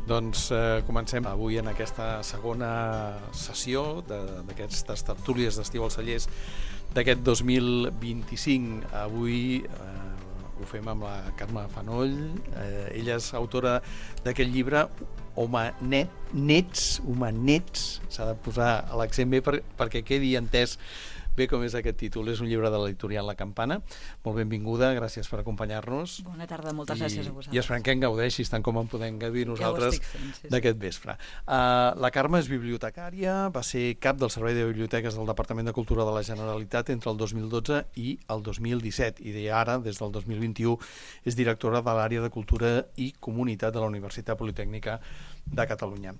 Doncs comencem avui en aquesta segona sessió d'aquestes tertúlies d'estiu als cellers d'aquest 2025. Avui ho fem amb la Carme Fanoll. Ella és autora d'aquest llibre Homenets, s'ha de posar l'accent bé perquè quedi entès bé com és aquest títol. És un llibre de l'editorial La Campana. Molt benvinguda, gràcies per acompanyar-nos. Bona tarda, moltes gràcies a vosaltres. I esperem que en gaudeixis tant com en podem gaudir nosaltres d'aquest vespre. La Carme és bibliotecària, va ser cap del Servei de Biblioteques del Departament de Cultura de la Generalitat entre el 2012 i el 2017 i ara, des del 2021, és directora de l'àrea de Cultura i Comunitat de la Universitat Politècnica de Catalunya.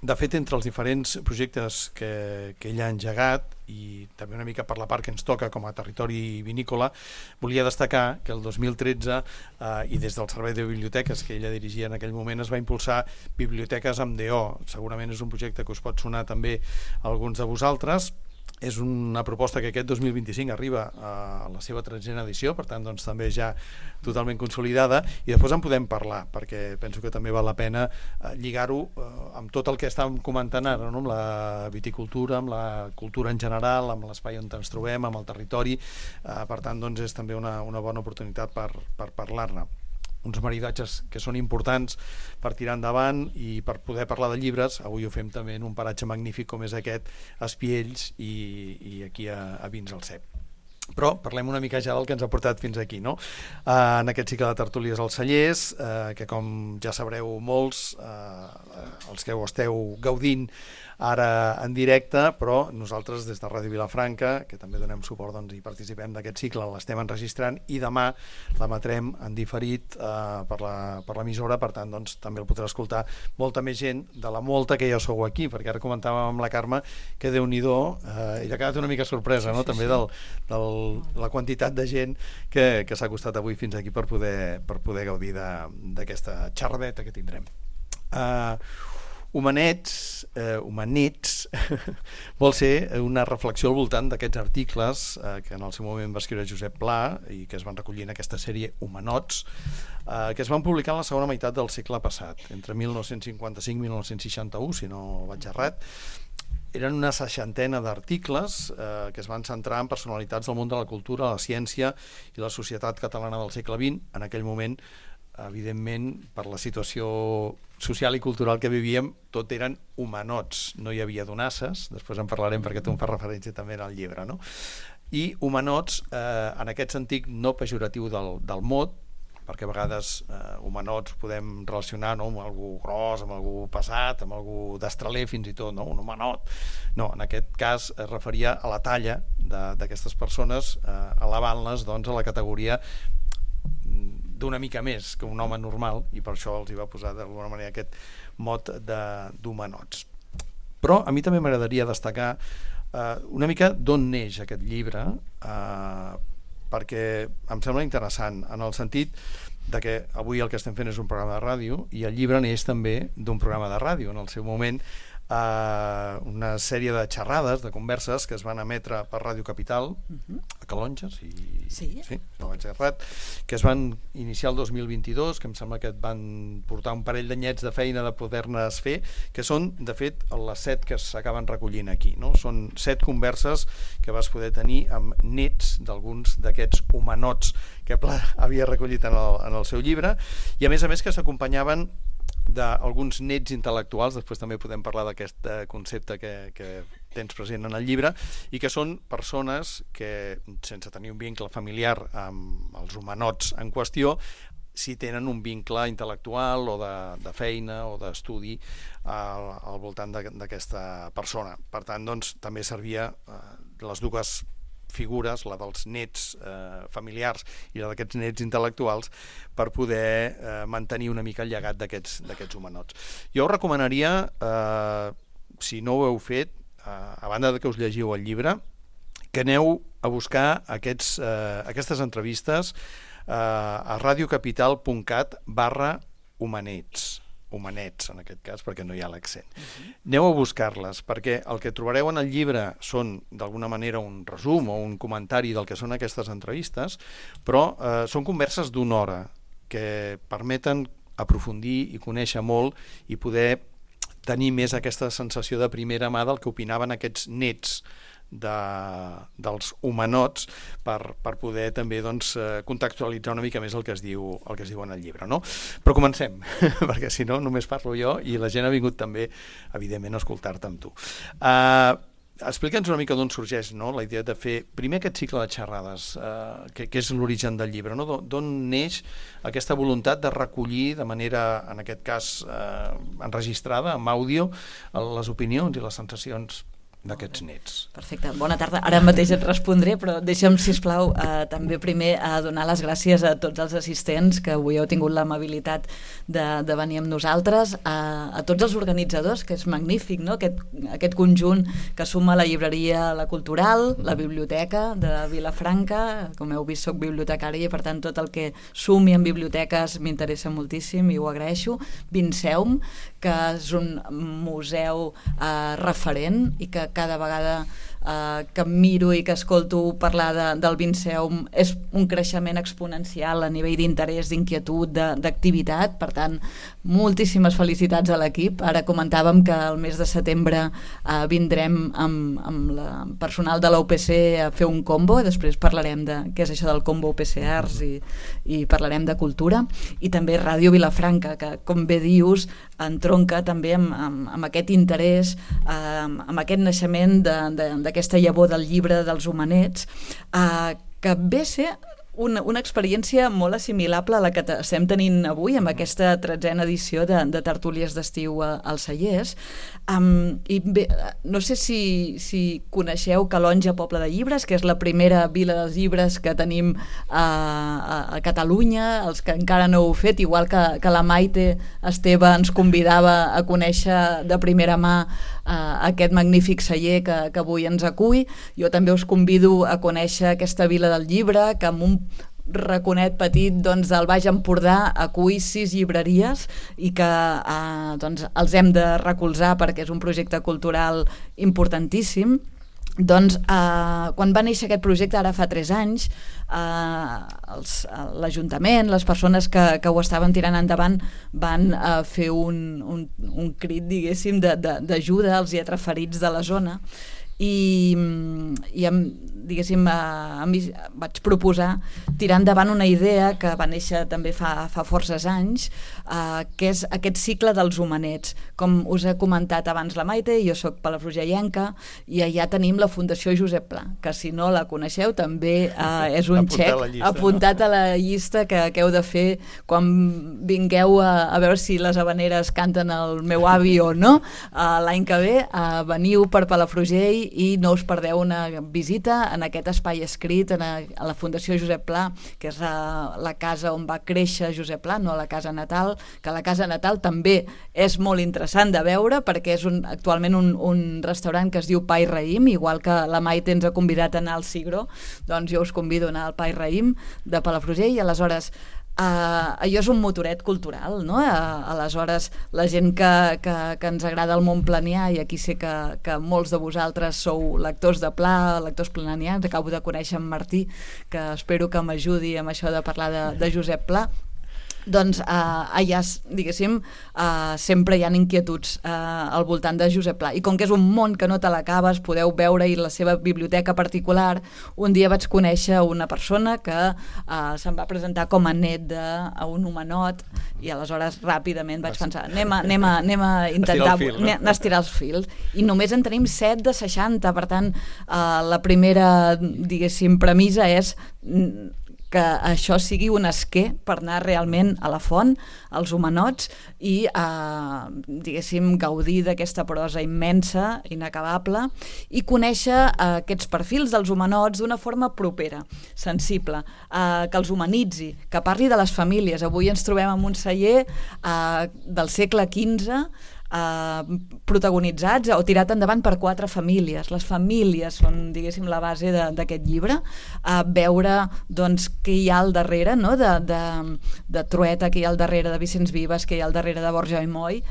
De fet, entre els diferents projectes que ella ha engegat, i també una mica per la part que ens toca com a territori vinícola, volia destacar que el 2013, i des del Servei de Biblioteques que ella dirigia en aquell moment, es va impulsar Biblioteques amb DO. Segurament és un projecte que us pot sonar també a alguns de vosaltres. És una proposta que aquest 2025 arriba a la seva 13a edició, per tant, doncs, també ja totalment consolidada, i després en podem parlar, perquè penso que també val la pena lligar-ho amb tot el que estàvem comentant ara, no? Amb la viticultura, amb la cultura en general, amb l'espai on ens trobem, amb el territori. Per tant, doncs, és també una bona oportunitat per parlar-ne. Uns maridatges que són importants per tirar endavant i per poder parlar de llibres. Avui ho fem també en un paratge magnífic com és aquest, Espiells, i aquí a Vins al Cep. Però parlem una mica ja del que ens ha portat fins aquí, no? En aquest cicle de tertúlies als cellers, que com ja sabreu molts, els que ho esteu gaudint ara en directe, però nosaltres des de Ràdio Vilafranca, que també donem suport, doncs, i participem d'aquest cicle, l'estem enregistrant i demà l'emetrem en diferit per l'emissora. Per tant, doncs, també el podrà escoltar molta més gent de la molta que ja sou aquí, perquè ara comentàvem amb la Carme que Déu-n'hi-do, ella ha quedat una mica sorpresa, no? També de la quantitat de gent que s'ha costat avui fins aquí per poder gaudir d'aquesta xerradeta que tindrem. Homenets vol ser una reflexió al voltant d'aquests articles que en el seu moment va escriure Josep Pla i que es van recollir en aquesta sèrie Homenots, que es van publicar en la segona meitat del segle passat, entre 1955 i 1961, si no vaig errat. Eren una 60ena d'articles que es van centrar en personalitats del món de la cultura, la ciència i la societat catalana del segle XX. En aquell moment, evidentment, per la situació social i cultural que vivíem, tot eren homenots, no hi havia donasses, després en parlarem perquè tu em fas referència també al llibre, no? I homenots, en aquest sentit no pejoratiu del mot, perquè a vegades homenots podem relacionar, no, amb algú gros, amb algú pesat, amb algú destraler fins i tot, no? Un homenot. No, en aquest cas es referia a la talla d'aquestes persones, elevant-les, doncs, a la categoria d'una mica més que un home normal, i per això els hi va posar d'alguna manera aquest mot d'homenots. Però a mi també m'agradaria destacar una mica d'on neix aquest llibre, perquè em sembla interessant en el sentit de que avui el que estem fent és un programa de ràdio i el llibre neix també d'un programa de ràdio. En el seu moment una sèrie de xerrades, de converses que es van emetre per Ràdio Capital a Calonja, sí, no vaig errat, que es van iniciar el 2022, que em sembla que et van portar un parell d'anyets de feina de poder-nes fer, que són, de fet, les 7 que s'acaben recollint aquí, no? Són 7 converses que vas poder tenir amb nets d'alguns d'aquests homenots que Pla havia recollit en el seu llibre, i a més que s'acompanyaven d'alguns nets intel·lectuals. Després també podem parlar d'aquest concepte que tens present en el llibre, i que són persones que, sense tenir un vincle familiar amb els homenots en qüestió, si tenen un vincle intel·lectual o de feina o d'estudi al voltant d'aquesta persona. Per tant, doncs, també servia les dues figures, la dels nets familiars i la d'aquests nets intel·lectuals, per poder mantenir una mica el llegat d'aquests homenots. Jo us recomanaria, si no ho heu fet, a banda de que us llegiu el llibre, que aneu a buscar aquestes entrevistes a radiocapital.cat/homenets, en aquest cas, perquè no hi ha l'accent. Aneu a buscar-les, perquè el que trobareu en el llibre són, d'alguna manera, un resum o un comentari del que són aquestes entrevistes, però són converses d'una hora que permeten aprofundir i conèixer molt i poder tenir més aquesta sensació de primera mà del que opinaven aquests nets dels humanots per poder també contextualitzar una mica més el que es diu en el llibre, no? Però comencem, perquè si no només parlo jo i la gent ha vingut també evidentment a escoltar-te amb tu. Explica'ns una mica d'on sorgeix, no?, la idea de fer primer aquest cicle de xerrades, que és l'origen del llibre, no? D'on neix aquesta voluntat de recollir de manera, en aquest cas enregistrada, amb àudio, les opinions i les sensacions d'aquests nets. Perfecte, bona tarda. Ara mateix et respondré, però deixa'm, sisplau, també primer donar les gràcies a tots els assistents que avui heu tingut l'amabilitat de venir amb nosaltres, a tots els organitzadors, que és magnífic, no?, aquest conjunt que suma la llibreria La Cultural, la biblioteca de Vilafranca. Com heu vist, soc bibliotecària i per tant tot el que sumi en biblioteques m'interessa moltíssim i ho agraeixo. Vinceum, que és un museu referent i que cada vegada que miro i que escolto parlar del Vinceum és un creixement exponencial a nivell d'interès, d'inquietud, d'activitat. Per tant, moltíssimes felicitats a l'equip. Ara comentàvem que el mes de setembre vindrem amb el personal de la UPC a fer un combo, i després parlarem de què és això del combo UPC Arts i parlarem de cultura, i també Ràdio Vilafranca, que com bé dius entronca també amb aquest interès, amb aquest naixement d'aquesta llavor del llibre dels Humanets, que ve a ser una experiència molt assimilable a la que estem tenint avui amb aquesta 13a edició de Tertúlies d'Estiu als Cellers. I bé, no sé si coneixeu Calonge, Poble de Llibres, que és la primera vila dels llibres que tenim a Catalunya. Els que encara no ho heu fet, igual que la Maite Esteve ens convidava a conèixer de primera mà aquest magnífic celler que avui ens acull, jo també us convido a conèixer aquesta vila del llibre, que amb un raconet petit del Baix Empordà acull 6 llibreries i que els hem de recolzar perquè és un projecte cultural importantíssim. Doncs quan va néixer aquest projecte ara fa 3 anys, l'Ajuntament, les persones que ho estaven tirant endavant van fer un crit, diguéssim, d'ajuda als lletraferits de la zona, i diguéssim, vaig proposar tirar endavant una idea que va néixer també fa forces anys, que és aquest cicle dels Humanets. Com us he comentat abans la Maite, jo soc palafrugellenca i allà tenim la Fundació Josep Pla, que si no la coneixeu també és un xec apuntat a la llista que heu de fer quan vingueu a veure si les havaneres canten el meu avi o no. L'any que ve veniu per Palafrugell i no us perdeu una visita en aquest espai escrit a la Fundació Josep Pla, que és la casa on va créixer Josep Pla, no la casa natal, que la casa natal també és molt interessant de veure perquè és actualment un restaurant que es diu Pa i Raïm, igual que la Maite ens ha convidat a anar al Cigró, doncs jo us convido a anar al Pa i Raïm de Palafrugell. I aleshores allò és un motoret cultural, no? Aleshores la gent que ens agrada el món planià, i aquí sé que molts de vosaltres sou lectors de Pla, lectors planians, acabo de conèixer en Martí, que espero que m'ajudi amb això de parlar de Josep Pla. Doncs allà, diguéssim, sempre hi ha inquietuds al voltant de Josep Pla, i com que és un món que no te l'acabes, podeu veure-hi la seva biblioteca particular. Un dia vaig conèixer una persona que se'm va presentar com a net d'un homenot, i aleshores ràpidament vaig pensar anem a intentar estirar els fils, i només en tenim 7 de 60, per tant la primera, diguéssim, premissa és que això sigui un esquer per anar realment a la font, als homenots, i diguéssim gaudir d'aquesta prosa immensa, inacabable, i conèixer aquests perfils dels homenots d'una forma propera, sensible, que els humanitzi, que parli de les famílies. Avui ens trobem en un celler del segle XV, protagonitzats o tirat endavant per 4 famílies. Les famílies són, diguéssim, la base d'aquest llibre. Veure doncs, què hi ha al darrere, no? de Trueta, què hi ha al darrere de Vicenç Vives, què hi ha al darrere de Borja i Moll,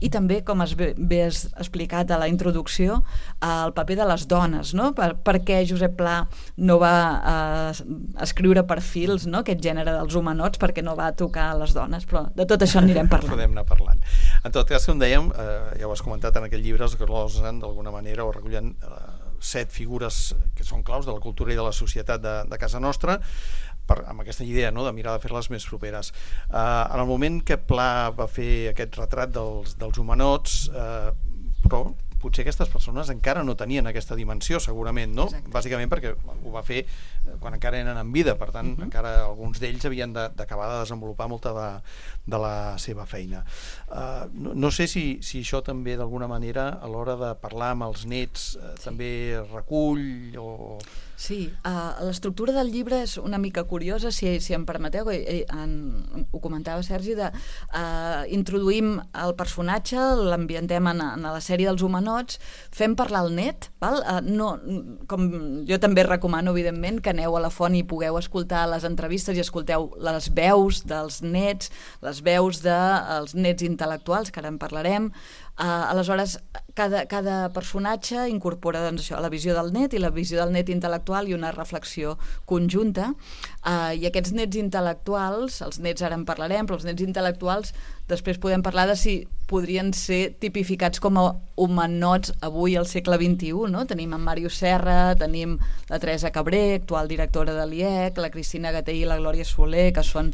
i també, com has explicat a la introducció, el paper de les dones, no? Per què Josep Pla no va escriure perfils, no? Aquest gènere dels homenots, perquè no va tocar a les dones, però de tot això anirem parlant. Podem anar parlant. En tot cas, com dèiem, ja ho has comentat en aquell llibre, es glosen d'alguna manera o recullen 7 figures que són claus de la cultura i de la societat de casa nostra, amb aquesta idea, no?, de mirar de fer-les més properes. En el moment que Pla va fer aquest retrat dels homenots, però potser aquestes persones encara no tenien aquesta dimensió, segurament, no? Exacte. Bàsicament perquè ho va fer quan encara eren en vida, per tant, encara alguns d'ells havien d'acabar de desenvolupar molta de la seva feina. No sé si això també, d'alguna manera, a l'hora de parlar amb els nets, també recull o... Sí, l'estructura del llibre és una mica curiosa, si em permeteu, ho comentava Sergi, introduïm el personatge, l'ambientem en la sèrie dels homenots, fem parlar el net, val? Com jo també recomano, evidentment, que aneu a la font i pugueu escoltar les entrevistes i escolteu les veus dels nets, les veus dels nets intel·lectuals, que ara en parlarem. Aleshores, cada personatge incorpora doncs, això, la visió del net i la visió del net intel·lectual i una reflexió conjunta, i aquests nets intel·lectuals, els nets ara en parlarem, però els nets intel·lectuals després podem parlar de si podrien ser tipificats com a homenots avui al segle XXI, no? Tenim en Màrius Serra, tenim la Teresa Cabré, actual directora de l'IEC, la Cristina Gatell i la Glòria Soler, que són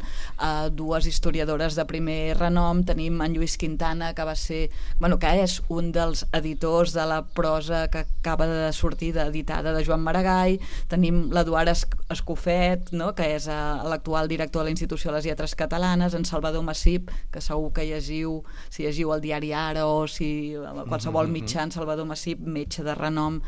dues historiadores de primer renom, tenim en Lluís Quintana, que va ser, que és un dels editors de la prosa que acaba de sortir editada de Joan Maragall, tenim l'Eduard Escofet, no? Que és l'actual director de la Institució de les Lletres Catalanes, en Salvador Massip, que segur que llegiu, si llegiu el diari Ara o si qualsevol mitjà, en Salvador Massip, metge de renom,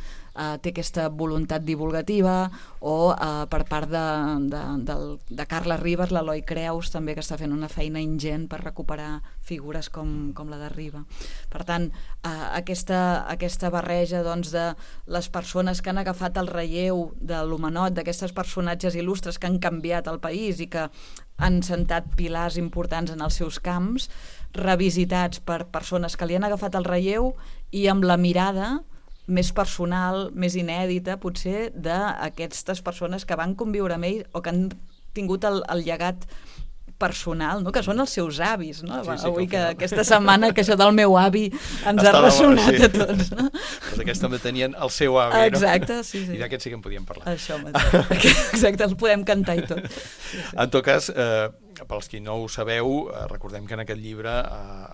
té aquesta voluntat divulgativa, o per part de Carles Ribas, l'Eloi Creus, també, que està fent una feina ingent per recuperar figures com la de Riba. Per tant, aquesta barreja doncs, de les persones que han agafat el relleu de l'homenot, d'aquestes personatges il·lustres que han canviat el país i que han sentat pilars importants en els seus camps, revisitats per persones que li han agafat el relleu i amb la mirada més personal, més inèdita, potser, d'aquestes persones que van conviure amb ell o que han tingut el llegat personal, no? Que són els seus avis, no? Sí, avui que aquesta setmana que això del meu avi ens ha ressonat a tots, no? Doncs aquests també tenien el seu avi, no? Exacte, sí. I d'aquests sí que en podíem parlar. Això mateix. Exacte, els podem cantar i tot. Sí. En tot cas, pels qui no ho sabeu, recordem que en aquest llibre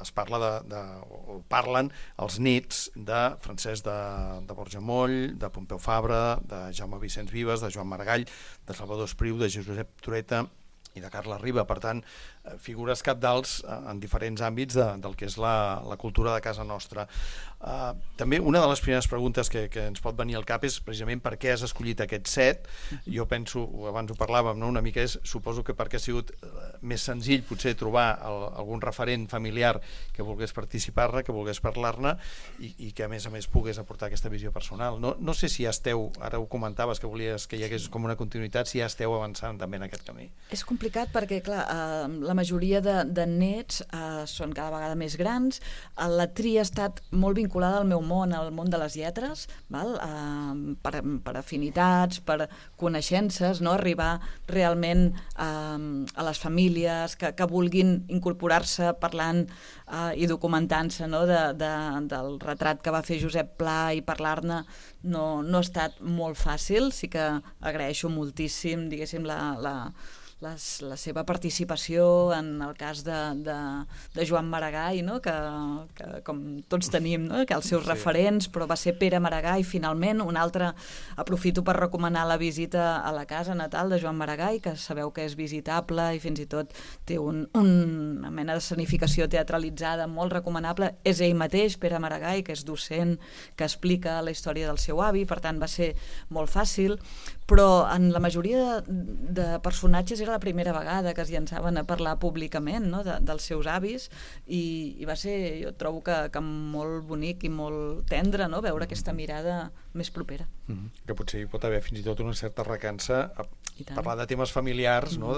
es parla o parlen els nets de Francesc de Borja Moll, de Pompeu Fabra, de Jaume Vicenç Vives, de Joan Maragall, de Salvador Espriu, de Josep Trueta i de Carles Riba. Per tant, figures cabdals en diferents àmbits del que és la cultura de casa nostra. També una de les primeres preguntes que ens pot venir al cap és precisament per què has escollit aquest set. Jo penso, abans ho parlàvem, no? Una mica suposo que perquè ha sigut més senzill potser trobar algun referent familiar que volgués participar-ne, que volgués parlar-ne i que a més pogués aportar aquesta visió personal. No sé si ja esteu, ara ho comentaves que volies que hi hagués com una continuïtat, si ja esteu avançant també en aquest camí. És complicat perquè, clar, la majoria de nets són cada vegada més grans. La tria ha estat molt vinculada al meu món, al món de les lletres, val? Per afinitats, per coneixences, no? Arribar realment a les famílies que vulguin incorporar-se parlant i documentant-se, no? Del retrat que va fer Josep Pla i parlar-ne no ha estat molt fàcil. Sí que agraeixo moltíssim, diguéssim, la seva participació en el cas de Joan Maragall, no? que com tots tenim, no? Que els seus referents, però va ser Pere Maragall finalment. Un altre, aprofito per recomanar la visita a la casa natal de Joan Maragall, que sabeu que és visitable i fins i tot té una mena d'escenificació teatralitzada molt recomanable. És ell mateix, Pere Maragall, que és docent, que explica la història del seu avi, per tant va ser molt fàcil, però en la majoria de personatges era era la primera vegada que es llançaven a parlar públicament, no? Dels seus avis, i va ser, jo trobo que molt bonic i molt tendre, no? Veure aquesta mirada més propera. Que potser hi pot haver fins i tot una certa recança a parlar de temes familiars, no?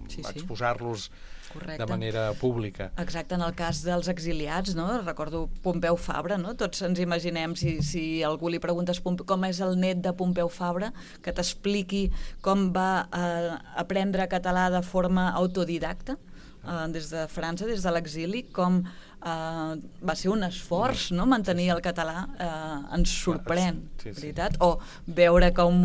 Exposar-los de manera pública. Exacte, en el cas dels exiliats, no? Recordo Pompeu Fabra, no? Tots ens imaginem, si algú li preguntes com és el net de Pompeu Fabra, que t'expliqui com va aprendre català de forma autodidacta, des de França, des de l'exili, com va ser un esforç, no? Mantenir el català, ens sorprèn, veritat? O veure com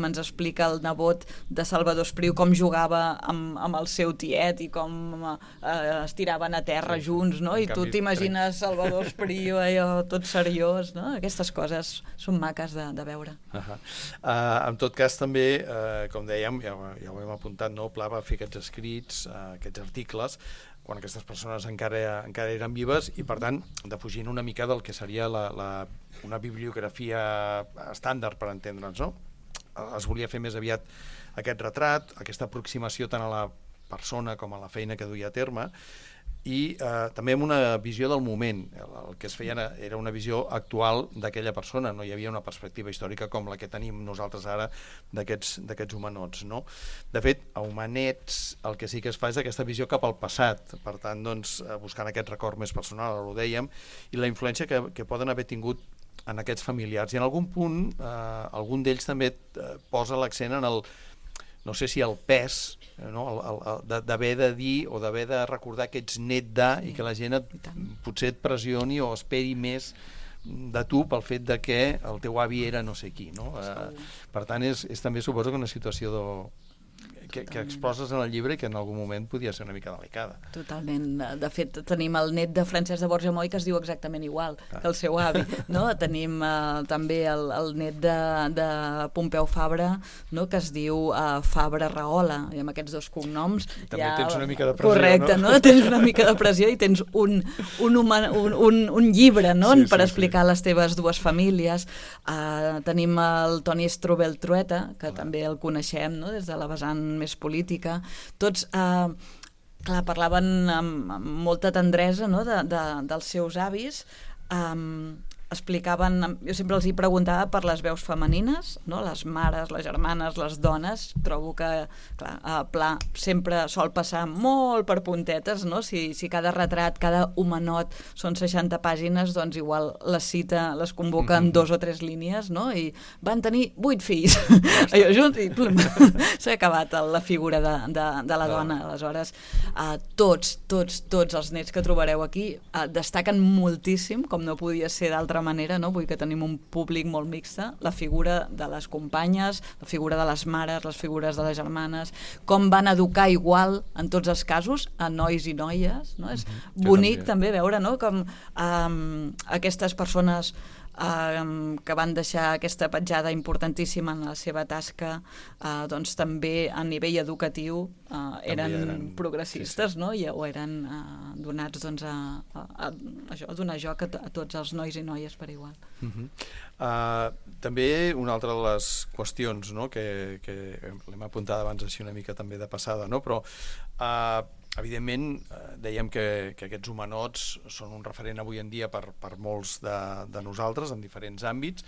ens explica el nebot de Salvador Espriu com jugava amb el seu tiet i com es tiraven a terra junts, no? I tu t'imagines Salvador Espriu allò tot seriós, no? Aquestes coses són maques de veure. En tot cas també, com dèiem, ja ho hem apuntat, no? Pla va fer aquests escrits, aquests articles, quan aquestes persones encara eren vives, i per tant defugint una mica del que seria una bibliografia estàndard, per entendre'ns, no? Es volia fer més aviat aquest retrat, aquesta aproximació tant a la persona com a la feina que duia a terme, i també amb una visió del moment. El que es feia era una visió actual d'aquella persona, no hi havia una perspectiva històrica com la que tenim nosaltres ara d'aquests humanots, no? De fet, a Humanets el que sí que es fa és aquesta visió cap al passat, per tant, doncs, buscant aquest record més personal, ho dèiem, i la influència que poden haver tingut en aquests familiars. I en algun punt, algun d'ells també posa l'accent en el, no sé si el pes, no? D'haver de dir o d'haver de recordar que ets net i que la gent potser et pressioni o esperi més de tu pel fet de que el teu avi era no sé qui, no? Per tant, és també suposo que una situació que exposes en el llibre i que en algun moment podia ser una mica delicada. Totalment. De fet, tenim el net de Francesc de Borja Moll que es diu exactament igual que el seu avi, no? Tenim també el net de Pompeu Fabra, no? Que es diu Fabra Rahola, i amb aquests dos cognoms també tens una mica de pressió, correcte, no? Tens una mica de pressió i tens un llibre, no? Per explicar les teves dues famílies. Tenim el Toni Strubel Trueta, que també el coneixem, no? Des de la vessant més política. Tots parlaven amb molta tendresa, no? Dels seus avis, explicaven, jo sempre els hi preguntava per les veus femenines, no? Les mares, les germanes, les dones. Trobo que, clar, Pla sempre sol passar molt per puntetes, no? Si cada retrat, cada homenot són 60 pàgines, doncs igual les convoca en 2 o 3 línies, no? I van tenir 8 fills. Allò junts i plum, s'ha acabat la figura de la dona. Aleshores, tots els nets que trobareu aquí destaquen moltíssim, com no podia ser d'altra manera, no? Vull que tenim un públic molt mixte, la figura de les companyes, la figura de les mares, les figures de les germanes, com van educar igual en tots els casos a nois i noies, no? És bonic també veure, no? Com aquestes persones que van deixar aquesta petjada importantíssima en la seva tasca, doncs també a nivell educatiu eren progressistes, no? O eren donats doncs, a donar joc a tots els nois i noies per igual. També una altra de les qüestions, no? que l'hem apuntat abans així una mica també de passada, no? Però evidentment dèiem que aquests humanots són un referent avui en dia per molts de nosaltres en diferents àmbits.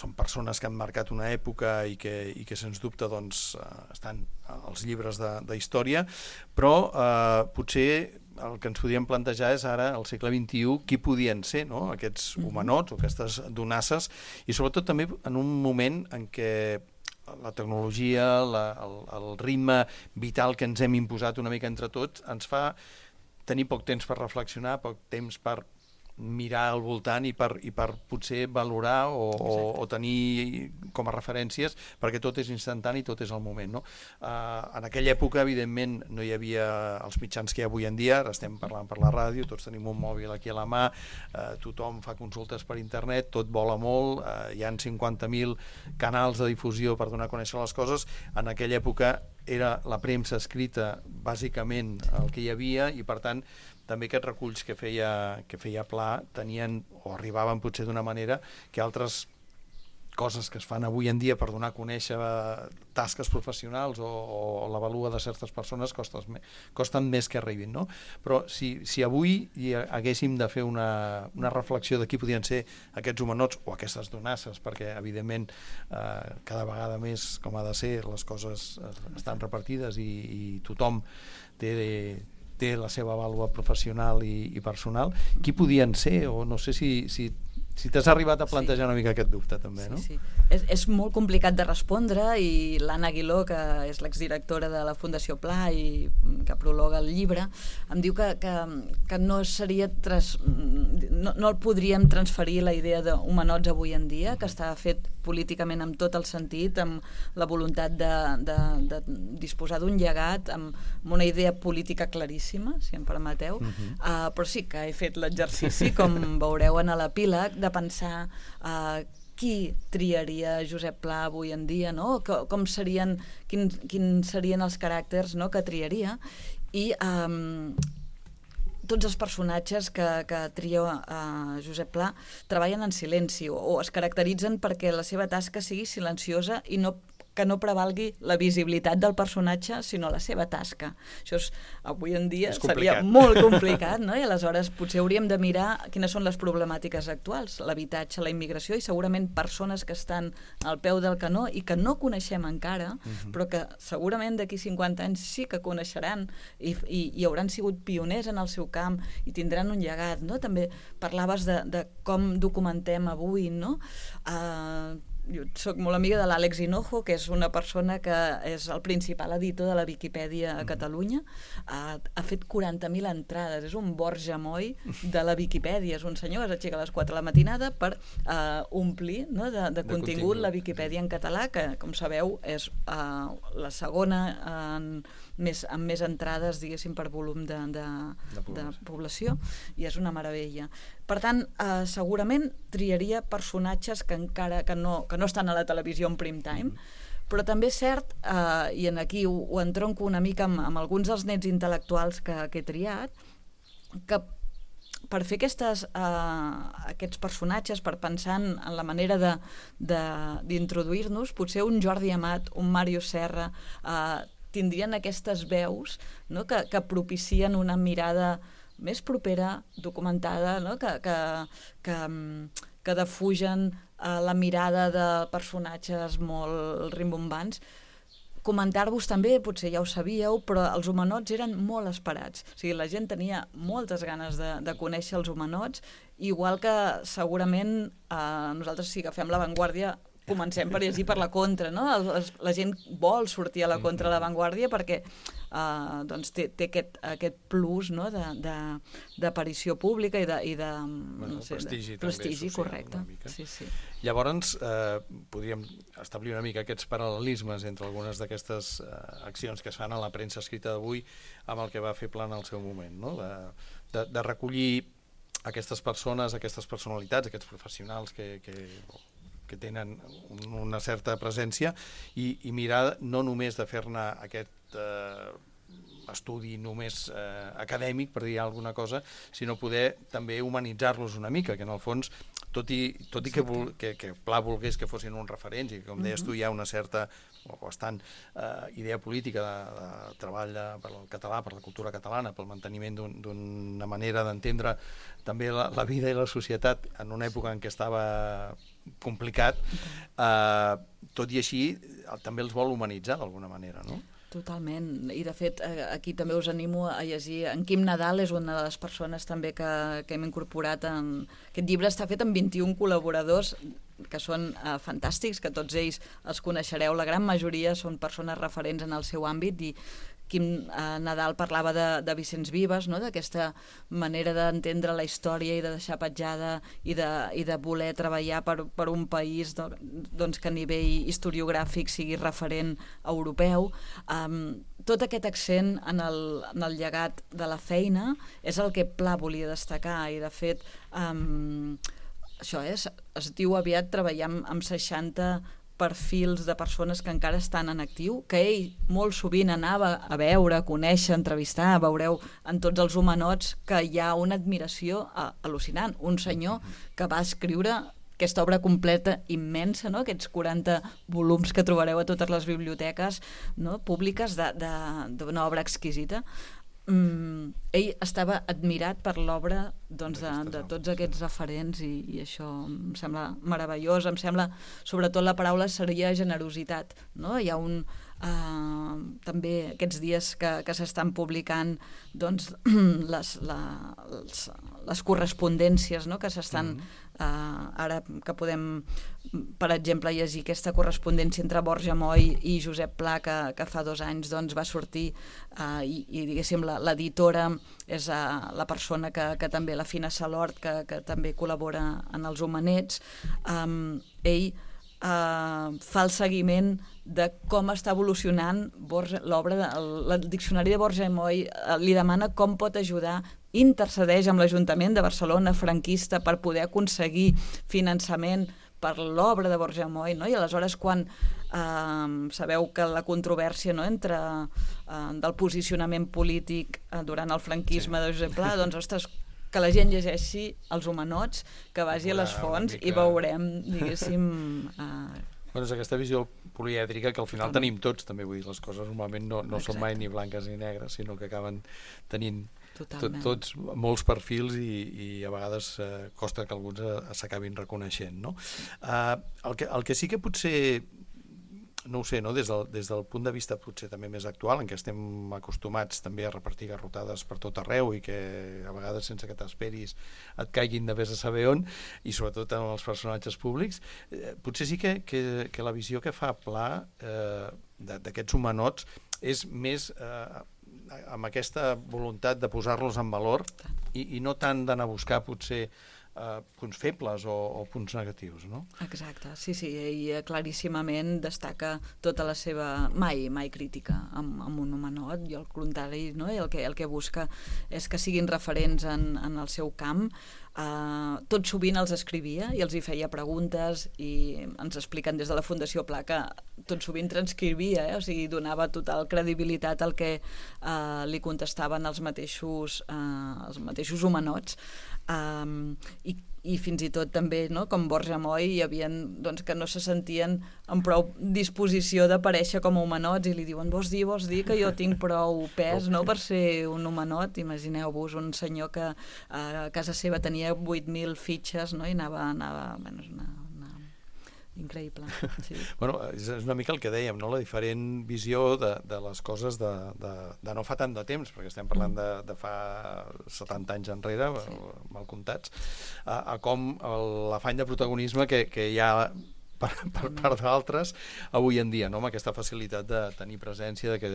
Són persones que han marcat una època i que sens dubte doncs, estan als llibres de història, però potser el que ens podíem plantejar és ara, al segle XXI, qui podien ser, no? Aquests humanots o aquestes donasses, i sobretot també en un moment en què la tecnologia, el ritme vital que ens hem imposat una mica entre tots ens fa tenir poc temps per reflexionar, poc temps per mirar al voltant i per potser valorar o tenir com a referències, perquè tot és instantani, tot és al moment, no? En aquella època, evidentment, no hi havia els mitjans que hi ha avui en dia, ara estem parlant per la ràdio, tots tenim un mòbil aquí a la mà, tothom fa consultes per internet, tot vola molt, hi ha 50.000 canals de difusió per donar a conèixer les coses. En aquella època era la premsa escrita bàsicament el que hi havia, i per tant també aquests reculls que feia Pla tenien o arribaven potser d'una manera que altres coses que es fan avui en dia per donar a conèixer tasques professionals o la vàlua de certes persones costen més que arribin, no? Però si avui haguéssim de fer una reflexió de qui podien ser aquests homenots o aquestes donasses, perquè evidentment cada vegada més, com ha de ser, les coses estan repartides i tothom té la seva vàlua professional i personal, qui podien ser? O no sé si t'has arribat a plantejar una mica aquest dubte també, no? Sí. És molt complicat de respondre i l'Anna Aguiló, que és l'exdirectora de la Fundació Pla i que prologa el llibre, em diu que no seria no el podríem transferir la idea d'homenots avui en dia, que està fet políticament amb tot el sentit, amb la voluntat de disposar d'un llegat, amb una idea política claríssima, si em permeteu, però sí que he fet l'exercici, com veureu en l'epíleg, de pensar qui triaria Josep Pla avui en dia, no? Com serien, quins serien els caràcters, no?, que triaria, i tots els personatges que tria Josep Pla treballen en silenci o es caracteritzen perquè la seva tasca sigui silenciosa i que no prevalgui la visibilitat del personatge, sinó la seva tasca. Això avui en dia seria molt complicat, no? I aleshores potser hauríem de mirar quines són les problemàtiques actuals, l'habitatge, la immigració, i segurament persones que estan al peu del canó i que no coneixem encara, però que segurament d'aquí 50 anys sí que coneixeran i hauran sigut pioners en el seu camp i tindran un llegat, no? També parlaves de com documentem avui, no? Jo soc molt amiga de l'Àlex Hinojo, que és una persona que és el principal editor de la Viquipèdia a Catalunya. Ha fet 40.000 entrades, és un Borja Moll de la Viquipèdia, és un senyor que s'aixeca a les 4 de la matinada per omplir, no, de contingut la Viquipèdia en català, que, com sabeu, és la segona amb més entrades, diguéssim, per volum de població, i és una meravella. Per tant, segurament triaria personatges que encara que no estan a la televisió en prime time, però també és cert, i aquí ho entronco una mica amb alguns dels nets intel·lectuals que he triat, que per fer aquests personatges, per pensar en la manera d'introduir-nos, potser un Jordi Amat, un Màrius Serra, tindrien aquestes veus, no?, que propicien una mirada més propera, documentada, no?, que defugen la mirada de personatges molt rimbombants. Comentar-vos també, potser ja ho sabíeu, però els homenots eren molt esperats. O sigui, la gent tenia moltes ganes de conèixer els homenots, igual que segurament nosaltres, si agafem l'avantguàrdia, comencem per llegir per la contra, no? La gent vol sortir a la contra de l'avantguàrdia perquè té aquest plus, no?, d'aparició pública i de prestigi, correcte. Sí. Llavors, podríem establir una mica aquests paral·lelismes entre algunes d'aquestes accions que es fan a la premsa escrita d'avui amb el que va fer Pla en el seu moment, no?, de recollir aquestes persones, aquestes personalitats, aquests professionals que tenen una certa presència i mirar no només de fer-ne aquest estudi només acadèmic, per dir alguna cosa, sinó poder també humanitzar-los una mica, que en el fons, tot i que Pla volgués que fossin uns referents i que, com deies tu, hi ha una certa o bastant idea política de treball per al català, per la cultura catalana, pel manteniment d'una manera d'entendre també la vida i la societat en una època en què estava complicat, tot i així també els vol humanitzar d'alguna manera, no? Totalment, i de fet aquí també us animo a llegir. En Quim Nadal és una de les persones també que hem incorporat en aquest llibre. Està fet amb 21 col·laboradors que són fantàstics, que tots ells els coneixereu, la gran majoria són persones referents en el seu àmbit, i Quim Nadal parlava de Vicenç Vives, no?, d'aquesta manera d'entendre la història i de deixar petjada i de voler treballar per un país doncs, que a nivell historiogràfic sigui referent europeu. Tot aquest accent en el llegat de la feina és el que Pla volia destacar, i de fet això es diu aviat treballar amb 60 perfils de persones que encara estan en actiu, que ell molt sovint anava a veure, a conèixer, a entrevistar. Veureu en tots els homenots que hi ha una admiració al·lucinant. Un senyor que va escriure aquesta obra completa immensa, no? Aquests 40 volums que trobareu a totes les biblioteques, no? Públiques d'una obra exquisita. Ell estava admirat per l'obra doncs, de tots aquests referents i això em sembla meravellós. Em sembla, sobretot la paraula seria generositat, no? Hi ha també aquests dies que s'estan publicant doncs, les correspondències, no? Que s'estan ara que podem, per exemple, llegir aquesta correspondència entre Borja Moll i Josep Pla que fa 2 anys doncs, va sortir i diguéssim l'editora és la persona que també, la Fina Salort, que també col·labora en els Homenets. Ell fa el seguiment de com està evolucionant l'obra. El diccionari de Borja Moll li demana com pot ajudar, intercedeix amb l'Ajuntament de Barcelona franquista per poder aconseguir finançament per l'obra de Borja Moll, no? I aleshores quan sabeu que la controvèrsia, no? Entre del posicionament polític durant el franquisme de Josep Pla, doncs ostres, que la gent llegeixi els Homenots, que vagi a les fonts i veurem, diguéssim... Bueno, és aquesta visió polièdrica que al final tenim tots, també, vull dir, les coses normalment no són mai ni blanques ni negres, sinó que acaben tenint tots molts perfils i a vegades costa que alguns s'acabin reconeixent, no? El que sí que potser, no ho sé, no? Des del punt de vista potser també més actual, en què estem acostumats també a repartir garrotades per tot arreu i que a vegades sense que t'esperis et caiguin de vés a saber on, i sobretot en els personatges públics, potser sí que la visió que fa Pla d'aquests Homenots és més amb aquesta voluntat de posar-los en valor i no tant d'anar a buscar potser punts febles o punts negatius, no? Exacte, sí, ell claríssimament destaca tota la seva mai crítica amb un homenot, i al contrari, no? I el que busca és que siguin referents en el seu camp. Tot sovint els escrivia i els hi feia preguntes, i ens expliquen des de la Fundació Pla que tot sovint transcrivia, o sigui, donava total credibilitat al que li contestaven els mateixos homenots. I fins i tot també, no? Com Borja Moll, hi havia doncs, que no se sentien amb prou disposició d'aparèixer com a homenots i li diuen, vols dir que jo tinc prou pes, no? Per ser un homenot. Imagineu-vos un senyor que a casa seva tenia 8.000 fitxes, no? I anava bueno, és increïble. Sí. Bueno, és una mica el que dèiem, no? La diferent visió de les coses de no fa tant de temps, perquè estem parlant de fa 70 anys enrere, mal comptats, a com l'afany de protagonisme que hi ha per part d'altres avui en dia, no? Amb aquesta facilitat de tenir presència, de que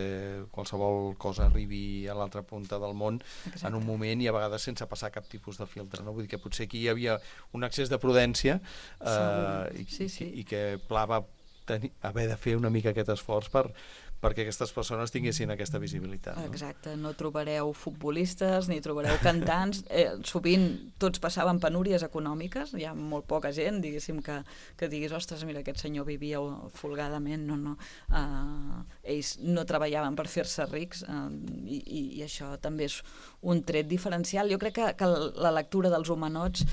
qualsevol cosa arribi a l'altra punta del món en un moment i a vegades sense passar cap tipus de filtre, no? Vull dir que potser aquí hi havia un excés de prudència i que Pla va haver de fer una mica aquest esforç perquè aquestes persones tinguessin aquesta visibilitat, no? Exacte, no trobareu futbolistes ni trobareu cantants, sovint tots passaven penúries econòmiques, hi ha molt poca gent, diguéssim, que diguis, ostres, mira, aquest senyor vivia folgadament, no. Ells no treballaven per fer-se rics, i això també és un tret diferencial. Jo crec que la lectura dels Homenots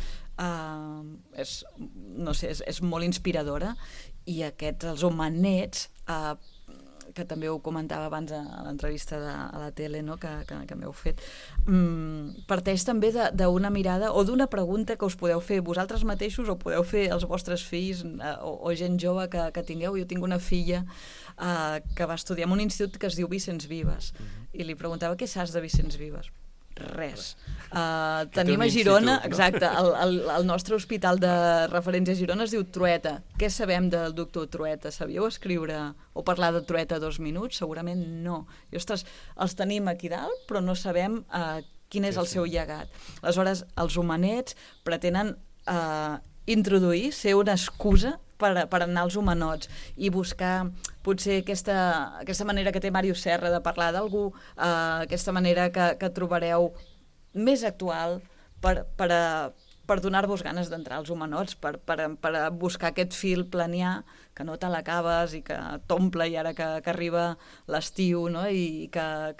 és molt inspiradora, i els Homenets, que també ho comentava abans a l'entrevista a la tele, no? que m'heu fet, parteix també d'una mirada o d'una pregunta que us podeu fer vosaltres mateixos o podeu fer als vostres fills o gent jove que tingueu. Jo tinc una filla que va estudiar en un institut que es diu Vicenç Vives, i li preguntava què saps de Vicenç Vives. Res. Tenim a Girona, exacte, el nostre hospital de referència a Girona es diu Trueta. Què sabem del doctor Trueta? Sabíeu escriure o parlar de Trueta 2 minuts? Segurament no. I, ostres, els tenim aquí dalt, però no sabem quin és el seu llegat. Aleshores, els Homenets pretenen introduir, ser una excusa per anar als Homenots i buscar potser aquesta manera que té Màrius Serra de parlar d'algú, aquesta manera que trobareu més actual per per donar-vos ganes d'entrar als Homenots, per buscar aquest fil planià que no te l'acabes i que t'omple, i ara que arriba l'estiu, no? I que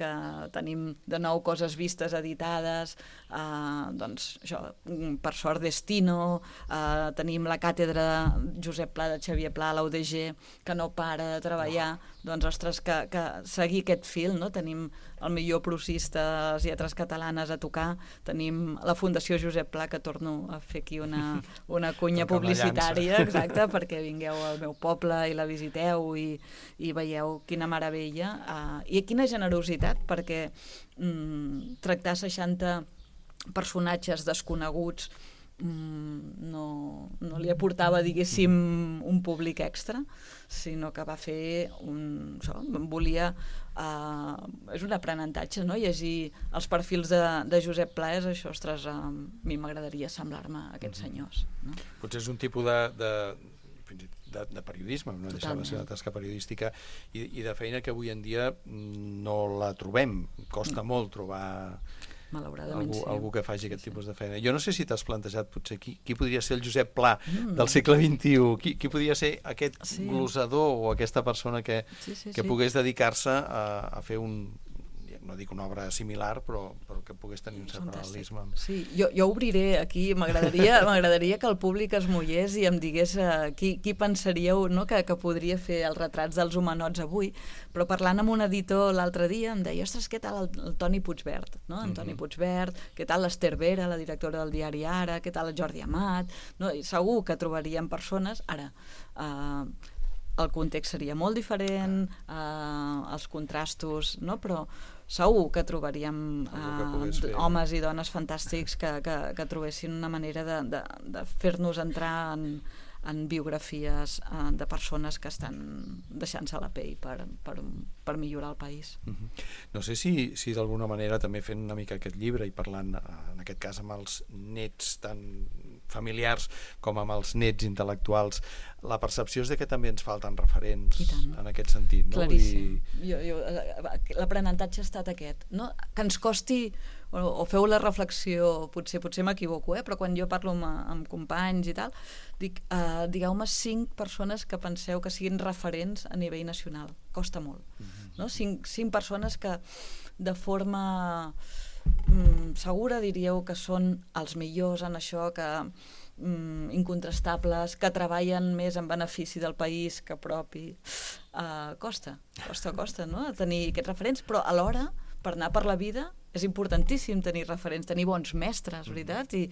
tenim de nou coses vistes editades, doncs això, per sort Destino, tenim la càtedra Josep Pla de Xavier Pla a la UDG, que no para de treballar, doncs ostres, que seguir aquest fil, no? Tenim el millor procista de les lletres catalanes a tocar, tenim la Fundació Josep Pla, que torno a fer aquí una cunya publicitària, exacte, perquè vingueu al meu poble i la visiteu i veieu quina meravella i quina generositat, perquè tractar 60 personatges desconeguts no li aportava, diguéssim, un públic extra, sinó que va fer volia és un aprenentatge, no? Llegir els perfils de Josep Pla és això, ostres, a mi m'agradaria semblar-me a aquests senyors, no? Potser és un tipus de periodisme, no deixava de ser una tasca periodística i de feina que avui en dia no la trobem, costa molt trobar algú que faci aquest tipus de feina. Jo no sé si t'has plantejat potser qui podria ser el Josep Pla del segle XXI, qui podria ser aquest glosador o aquesta persona que pogués dedicar-se a fer no dic una obra similar, però que pogués tenir un cert paral·lelisme. Sí, jo obriré aquí, m'agradaria que el públic es mullés i em digués qui pensaríeu, no, que podria fer els retrats dels Homenots avui, però parlant amb un editor l'altre dia em deia, ostres, què tal el Toni Puigvert, no? En Toni Puigvert, què tal l'Ester Vera, la directora del diari Ara, què tal el Jordi Amat, no? I segur que trobaríem persones, ara, el context seria molt diferent, els contrastos, no? Però segur que trobaríem homes i dones fantàstics que trobessin una manera de fer-nos entrar en biografies de persones que estan deixant-se la pell per millorar el país. No sé si d'alguna manera també fent una mica aquest llibre i parlant en aquest cas amb els nets tan familiars com amb els nets intel·lectuals, la percepció és que també ens falten referents en aquest sentit, no? Claríssim. L'aprenentatge ha estat aquest, no? Que ens costi, o feu la reflexió, potser m'equivoco, però quan jo parlo amb companys i tal, dic, digueu-me 5 persones que penseu que siguin referents a nivell nacional. Costa molt, no? 5 persones que de forma segura diríeu que són els millors en això, que incontrastables, que treballen més en benefici del país que propi. Costa, no? Tenir aquests referents, però alhora, per anar per la vida, és importantíssim tenir referents, tenir bons mestres, veritat? I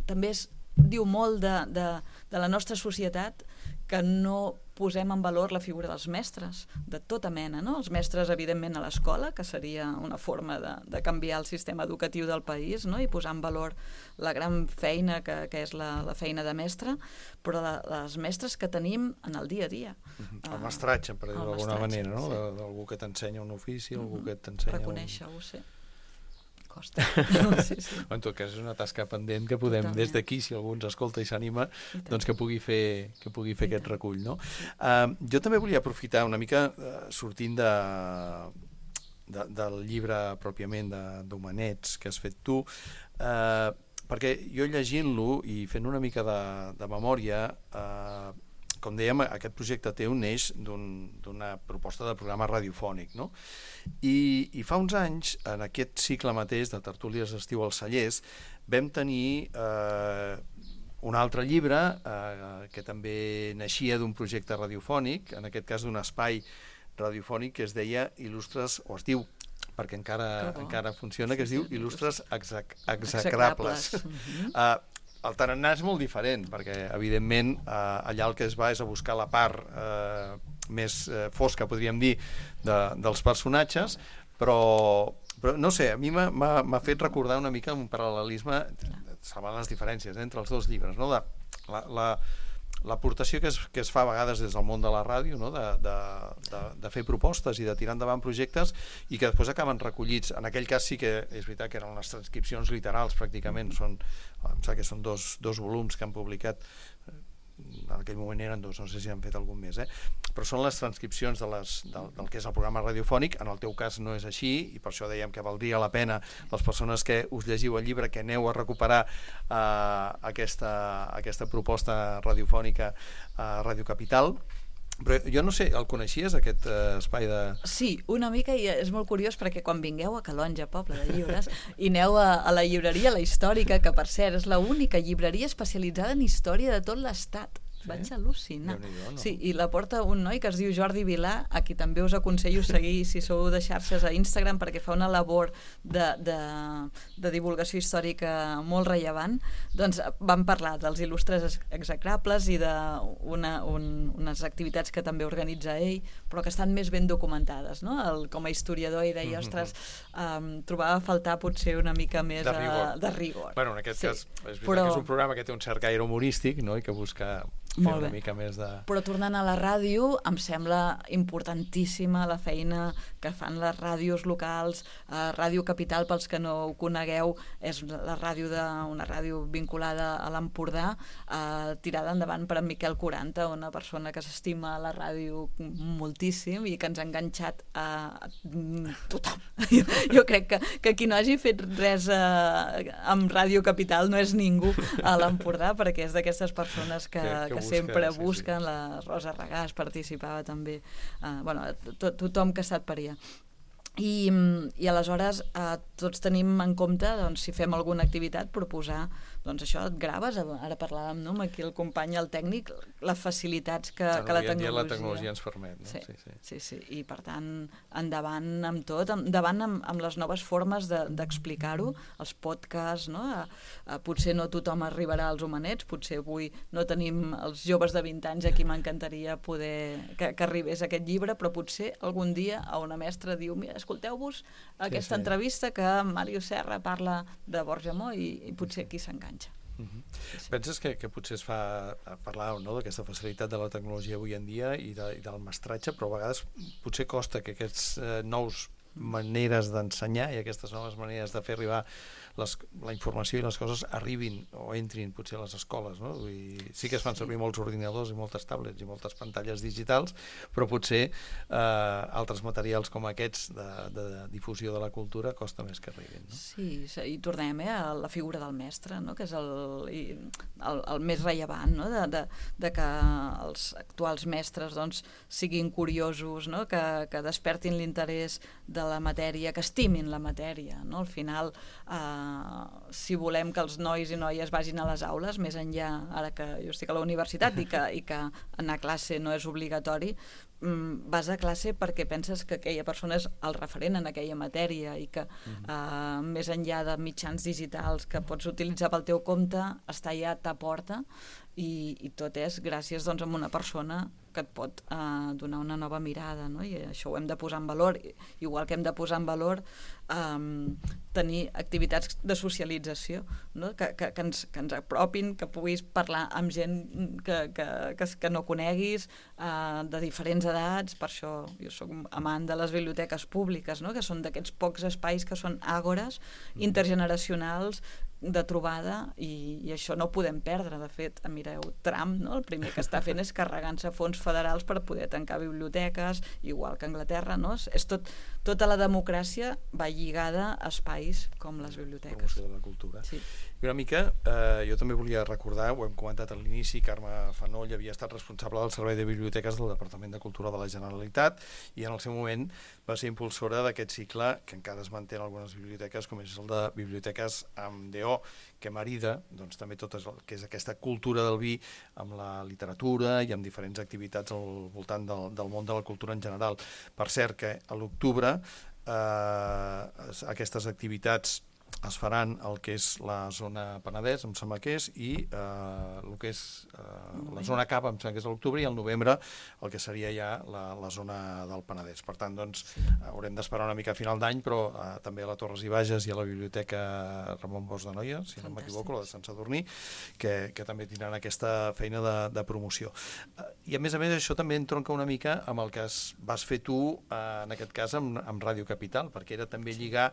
també diu molt de la nostra societat que no posem en valor la figura dels mestres, de tota mena, no? Els mestres, evidentment, a l'escola, que seria una forma de canviar el sistema educatiu del país, no? I posar en valor la gran feina que és la feina de mestre, però les mestres que tenim en el dia a dia. El mestratge, per dir-ho d'alguna manera, no? D'algú que t'ensenya un ofici, algú que t'ensenya... Reconèixer-ho, sí. Costa. En tot cas, és una tasca pendent que podem, des d'aquí, si algú ens escolta i s'anima, doncs que pugui fer aquest recull, no? Jo també volia aprofitar una mica, sortint del llibre pròpiament d'Homenets que has fet tu, perquè jo llegint-lo i fent una mica de memòria, com dèiem, aquest projecte teu neix d'una proposta de programa radiofònic, no? I fa uns anys, en aquest cicle mateix de Tertúlies d'estiu als Cellers, vam tenir un altre llibre que també naixia d'un projecte radiofònic, en aquest cas d'un espai radiofònic que es deia Il·lustres, o es diu, perquè encara funciona, que es diu Il·lustres execrables. El tarannà és molt diferent, perquè, evidentment, allà el que es va és a buscar la part més fosca, podríem dir, dels personatges, però no sé, a mi m'ha fet recordar una mica un paral·lelisme, salvant les diferències entre els dos llibres, no? L'aportació que es fa a vegades des del món de la ràdio, no? De fer propostes i de tirar endavant projectes i que després acaben recollits. En aquell cas sí que és veritat que eren les transcripcions literals pràcticament, em sembla que són dos volums que han publicat en aquell moment eren 2, no sé si han fet algun més, però són les transcripcions del que és el programa radiofònic. En el teu cas no és així, i per això dèiem que valdria la pena les persones que us llegiu el llibre que aneu a recuperar aquesta proposta radiofònica a Ràdio Capital. Però jo no sé, el coneixies, aquest espai de... Sí, una mica, i és molt curiós perquè quan vingueu a Calonge, poble de llibres, i aneu a la llibreria La Històrica, que per cert és l'única llibreria especialitzada en història de tot l'estat. Vaig al·lucinar. No? Sí, i la porta un noi que es diu Jordi Vilà, a qui també us aconsello seguir si sou de xarxes a Instagram, perquè fa una labor de divulgació històrica molt rellevant. Doncs vam parlar dels il·lustres execrables i d'unes activitats que també organitza ell, però que estan més ben documentades, no? Com a historiador, i deia, ostres, trobava a faltar potser una mica més de rigor. Bueno, en aquest cas, és veritat que és un programa que té un cert caire humorístic, no? I que busca fer una mica més de... Però tornant a la ràdio, em sembla importantíssima la feina que fan les ràdios locals. Ràdio Capital, pels que no ho conegueu, és una ràdio vinculada a l'Empordà, tirada endavant per en Miquel Quaranta, una persona que s'estima la ràdio moltíssim i que ens ha enganxat a tothom. Jo crec que qui no hagi fet res amb Ràdio Capital no és ningú a l'Empordà, perquè és d'aquestes persones que sempre busquen. La Rosa Regàs participava també, tothom que ha estat per allà. I aleshores tots tenim en compte, doncs, si fem alguna activitat, proposar, doncs això, et graves, ara parlàvem, no?, amb aquí el company, el tècnic, les facilitats que la tecnologia ens permet, no? Sí, i per tant endavant amb tot, endavant amb les noves formes d'explicar-ho, els podcasts, no? Potser no tothom arribarà als homenets, potser avui no tenim els joves de 20 anys a qui m'encantaria poder que arribés aquest llibre, però potser algun dia a una mestra diu, mira, escolteu-vos aquesta entrevista que Màrius Serra parla de Borja Mo i potser aquí s'enganxa. Penses que potser es fa parlar, no?, d'aquesta facilitat de la tecnologia avui en dia i del mestratge, però a vegades potser costa que aquests nous maneres d'ensenyar i aquestes noves maneres de fer arribar la informació i les coses arribin o entrin potser a les escoles, no? Sí que es fan servir molts ordinadors i moltes tablets i moltes pantalles digitals, però potser altres materials com aquests de difusió de la cultura costa més que arribin, no? Sí, i tornem a la figura del mestre, no?, que és el més rellevant, no?, de que els actuals mestres doncs siguin curiosos, no?, que despertin l'interès de la matèria, que estimin la matèria, no? Al final, si volem que els nois i noies vagin a les aules, més enllà, ara que jo estic a la universitat i que anar a classe no és obligatori, vas a classe perquè penses que aquella persona és el referent en aquella matèria i que més enllà de mitjans digitals que pots utilitzar pel teu compte, està allà a ta porta i tot és gràcies doncs a una persona que et pot donar una nova mirada, no? I això ho hem de posar en valor, igual que hem de posar en valor tenir activitats de socialització, no? que ens apropin, que puguis parlar amb gent que no coneguis, de diferents edats. Per això jo soc amant de les biblioteques públiques, no?, que són d'aquests pocs espais que són àgores intergeneracionals de trobada, i això no ho podem perdre. De fet, mireu, Trump, no?, el primer que està fent és carregant-se fons federals per poder tancar biblioteques, igual que Anglaterra, no? Tota la democràcia va lligada a espais com les biblioteques. Promoció de la cultura. Sí. I una mica, jo també volia recordar, ho hem comentat a l'inici, Carme Fanoll havia estat responsable del Servei de Biblioteques del Departament de Cultura de la Generalitat i en el seu moment va ser impulsora d'aquest cicle que encara es manté en algunes biblioteques, com és el de Biblioteques amb DO, que marida doncs, també tot el que és aquesta cultura del vi amb la literatura i amb diferents activitats al voltant del món de la cultura en general. Per cert, que a l'octubre aquestes activitats es faran el que és la zona Penedès, em sembla que és, i el que és la zona Cava, em sembla que és a l'octubre, i al novembre el que seria ja la zona del Penedès. Per tant, doncs, haurem d'esperar una mica a final d'any, però també a la Torres i Bages i a la Biblioteca Ramon Bosch de Noia, si no m'equivoco, la de Sant Sadurní, que també tindran aquesta feina de promoció. I a més, això també entronca una mica amb el que vas fer tu, en aquest cas, amb Ràdio Capital, perquè era també lligar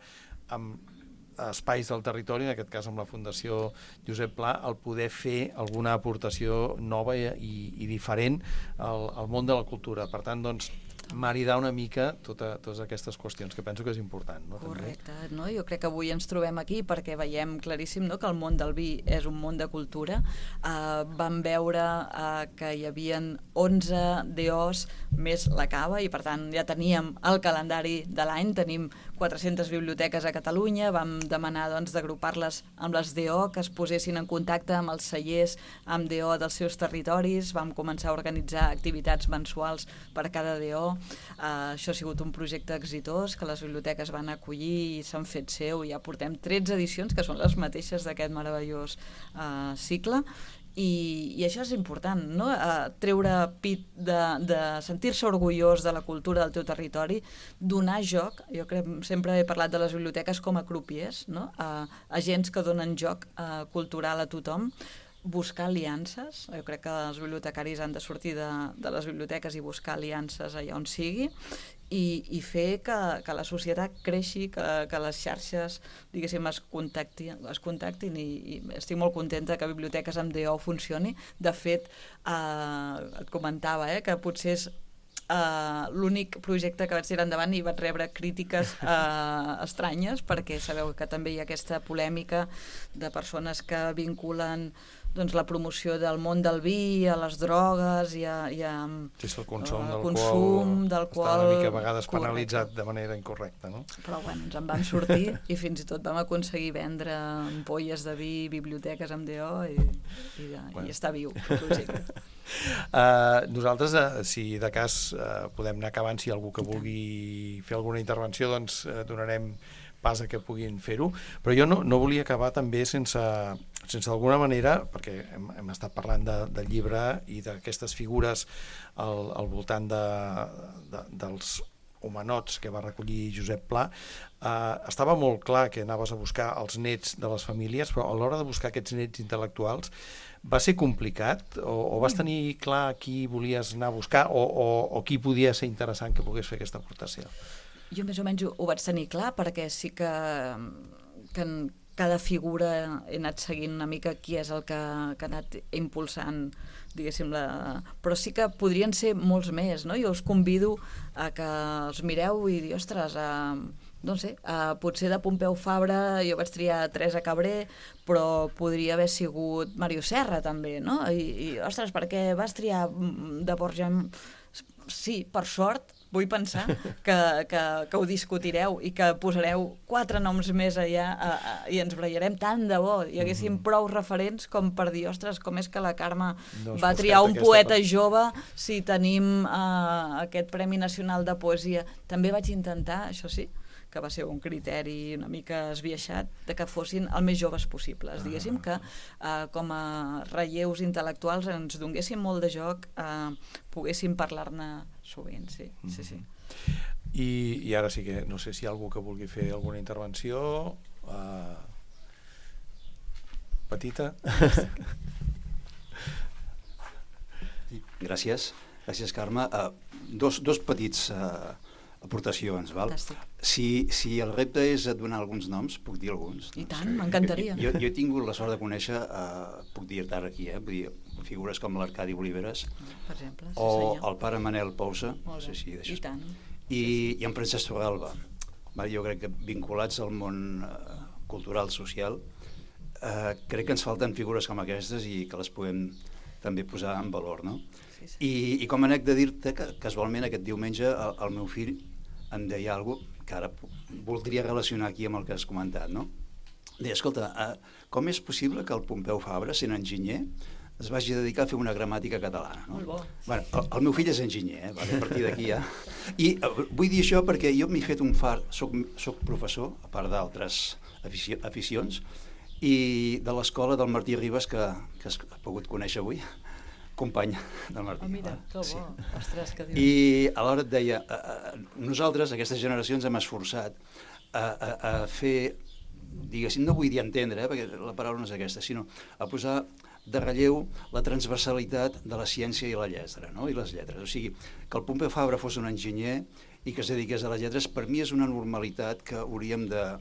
amb espais del territori, en aquest cas amb la Fundació Josep Pla, el poder fer alguna aportació nova i diferent al món de la cultura. Per tant, doncs, maridar una mica totes aquestes qüestions, que penso que és important. No? Correcte, no? Jo crec que avui ens trobem aquí perquè veiem claríssim, no?, que el món del vi és un món de cultura. Vam veure que hi havien 11 DOs més la cava i per tant ja teníem el calendari de l'any, tenim 400 biblioteques a Catalunya, vam demanar doncs, d'agrupar-les amb les DO, que es posessin en contacte amb els cellers amb DO dels seus territoris, vam començar a organitzar activitats mensuals per cada DO. Això ha sigut un projecte exitós que les biblioteques van acollir i s'han fet seu, ja portem 13 edicions que són les mateixes d'aquest meravellós cicle. I això és important, no? Treure pit de sentir-se orgullós de la cultura del teu territori, donar joc. Jo sempre he parlat de les biblioteques com a crupiers, no? Agents que donen joc cultural a tothom, buscar aliances. Jo crec que els bibliotecaris han de sortir de les biblioteques i buscar aliances allà on sigui i fer que la societat creixi, que les xarxes, diguéssim, es contactin i estic molt contenta que Biblioteques amb DO funcioni. De fet, et comentava que potser és l'únic projecte que vaig tirar endavant i vaig rebre crítiques estranyes, perquè sabeu que també hi ha aquesta polèmica de persones que vinculen doncs, la promoció del món del vi a les drogues i a sí, el consum d'alcohol està una mica a vegades penalitzat de manera incorrecta, no? Però bueno, ens en vam sortir i fins i tot vam aconseguir vendre ampolles de vi, biblioteques amb DO i està viu el projecte. Nosaltres, si de cas podem anar acabant, si algú que vulgui fer alguna intervenció, doncs donarem pas a que puguin fer-ho, però jo no volia acabar també sense d'alguna manera, perquè hem estat parlant del llibre i d'aquestes figures al voltant dels homenots que va recollir Josep Pla. Estava molt clar que anaves a buscar els nets de les famílies, però a l'hora de buscar aquests nets intel·lectuals va ser complicat o vas tenir clar qui volies anar a buscar o qui podia ser interessant que pogués fer aquesta aportació? Jo més o menys ho vaig tenir clar perquè sí que en cada figura he anat seguint una mica qui és el que ha anat impulsant, diguéssim, però sí que podrien ser molts més, no? Jo us convido a que els mireu i dir, ostres, no sé, potser de Pompeu Fabra jo vaig triar Teresa Cabré, però podria haver sigut Mario Serra també, no? I ostres, per què vas triar de Borja? Sí, per sort, vull pensar que ho discutireu i que posareu 4 noms més allà i ens barallarem tant de bo. Hi haguéssim prou referents com per dir, ostres, com és que la Carme va triar un poeta jove si tenim aquest Premi Nacional de Poesia. També vaig intentar, això sí, que va ser un criteri una mica esbiaixat, de que fossin el més joves possibles. Diguéssim que com a relleus intel·lectuals ens donguéssim molt de joc, poguéssim parlar-ne sovint, sí. I ara sí que no sé si hi ha algú que vulgui fer alguna intervenció petita. Gràcies, Carme. Dos petits aportacions, val? Si el repte és donar alguns noms, puc dir alguns. I tant, m'encantaria. Jo he tingut la sort de conèixer, puc dir-te ara aquí, vull dir, figures com l'Arcadi Oliveres, per exemple, o el pare Manel Pousa, i tant, i en Francesc Torralba. Jo crec que vinculats al món cultural, social, crec que ens falten figures com aquestes i que les podem també posar en valor, no? I com a anècdota dir-te que casualment aquest diumenge el meu fill em deia alguna cosa que ara voldria relacionar aquí amb el que has comentat, no? Deia, escolta, com és possible que el Pompeu Fabra, sent enginyer, es vagi a dedicar a fer una gramàtica catalana, no? Molt bo. Bueno, el meu fill és enginyer, a partir d'aquí ja. I vull dir això perquè jo m'he fet un far, soc professor, a part d'altres aficions, i de l'escola del Martí Ribes, que has pogut conèixer avui, company del Martí. Mira, que bo. Sí. Ostres, que I alhora et deia, nosaltres, aquestes generacions, hem esforçat a fer, diguéssim, no vull dir entendre, perquè la paraula no és aquesta, sinó a posar de relleu la transversalitat de la ciència i la lletra, no? I les lletres. O sigui, que el Pompeu Fabra fos un enginyer i que es dediqués a les lletres, per mi és una normalitat que hauríem de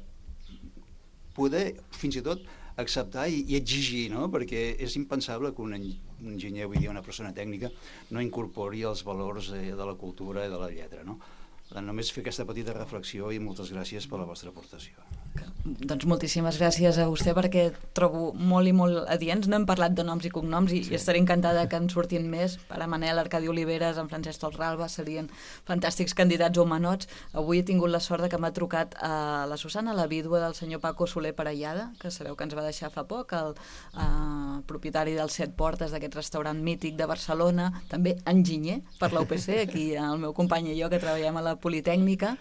poder fins i tot acceptar i exigir, no? Perquè és impensable que un enginyer, vull dir, una persona tècnica, no incorpori els valors de la cultura i de la lletra, no? Només fer aquesta petita reflexió i moltes gràcies per la vostra aportació. Doncs moltíssimes gràcies a vostè perquè trobo molt i molt adients. No hem parlat de noms i cognoms i estaré encantada que en surtin més. Pare Manel, Arcadi Oliveres, en Francesc Torralba serien fantàstics candidats o menots. Avui he tingut la sort que m'ha trucat a la Susana, la vídua del senyor Paco Soler Parellada, que sabeu que ens va deixar fa poc, el propietari dels 7 Portes, d'aquest restaurant mític de Barcelona, també enginyer per la UPC, aquí el meu company i jo que treballem a la Politècnica.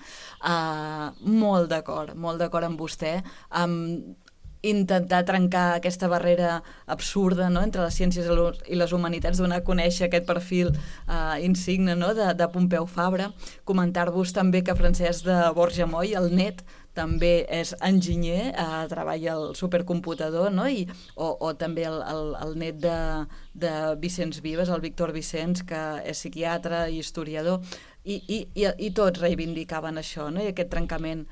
Molt d'acord amb vostè, intentar trencar aquesta barrera absurda, no?, entre les ciències i les humanitats, donar a conèixer aquest perfil insigne, no?, de Pompeu Fabra. Comentar-vos també que Francesc de Borja Moll, el net, també és enginyer, treballa al supercomputador, no?, o també el net de Vicenç Vives, el Víctor Vicenç, que és psiquiatre i historiador, i tots reivindicaven això, no?, i aquest trencament.